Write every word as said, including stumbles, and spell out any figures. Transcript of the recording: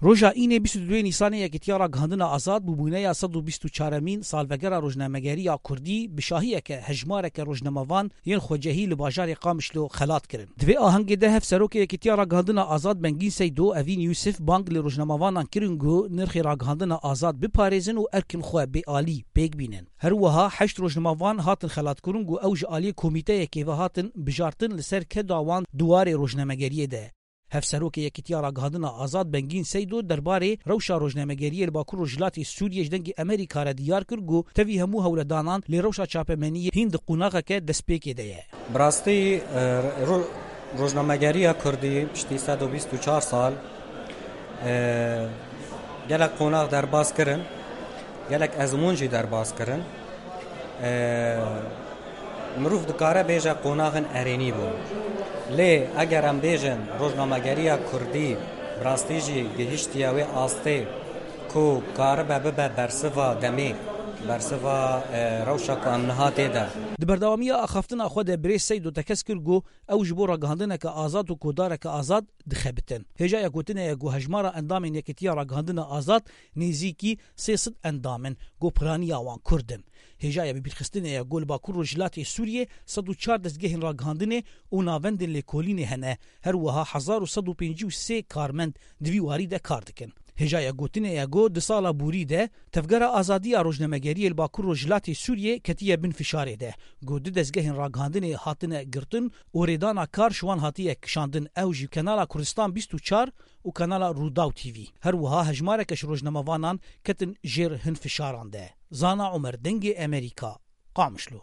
Roja Înê bîst û duyê Nîsanê Yekîtiya Ragihandina Azad bûbûneya sed û bîst û çaremîn salvegera rojnamegeriya Kurdî bi şahiyeke hejmareke rojnamevan yên xwecehî li bajarê Qamişlo xelat kirin. Di vê ahengê de Hevserokê Yekîtiya Ragihandina Azad Bengîn Seydo, Evîn Yûsif bang li rojnamevanan kirin ku nirxê ragihandina azad biparêzin û erkin xwe bêalî pêk bînin. Her wiha heşt rojnamevan hatin xelatkirin ku ew ji aliyê komîteyekê ve hatin bijartin li ser keda wan di warê rojnamegeriyê de. Hevserokê Yekîtiya Ragihandina Azad Bengîn Seydo derbarê rewşa rojnamegeriyê li Bakur Rojhilatê Sûriyê ji Dengê Amerîka re diyar kir ku tevî hemû hewledanan lê rewşa çapemeniyê hîn di qonaxeke destpêkê de ye. Bi rastî, e, ro-, rojnamegeriya Kurdî piştî sed û bîst û çar sal, e, gelek qonax derbas kirin, gelek ezmûn jî derbas kirin. E, mirov dikare bêje qonaxin erênî bûn. Lê eger em bêjin rojnamegeriya Kurdî bi rastî jî gihiştiye wê astê ku karibe bibe bersiva demê, bersiva, e, rewşa ku em niha tê de. Di berdewamiya axaftina xwe de birêz Seydo tekez kir ku ew ji bo ragihandineke azad û kodareke azad dixebitin. Hêjaya gotinê ye ku hejmara endamên Yekîtiya Ragihandina Azad nêzîkî sê sed endam in ku piraniya wan Kurd in. Hêjaya bibîrxistinê ye ku li Bakur Rojhilatê Sûriyê sed û çar dezgehên ragihandinê û navendên lêkolînê hene. Her wiha hezar û sed û pêncî û sê karmend di vî warî de kar dikin. Hêjaya gotinê ye ku di sala borî de Tevgera Azadiya Rojnamegeriyê li Bakur Rojhilatê Sûriyê ketiye bin fişarê de. Ku du dezgehên ragihandinê hatine girtin û rêdana kar ji wan hatiye kişandin, ew jî Kanala Kurdistan bîst û çar û Kanala Rûdaw T V. Her wiha hejmareke ji rojnamevanan ketin jêr hin fişaran de. Zana Omer, Dengê Amerîka, Qamişlo.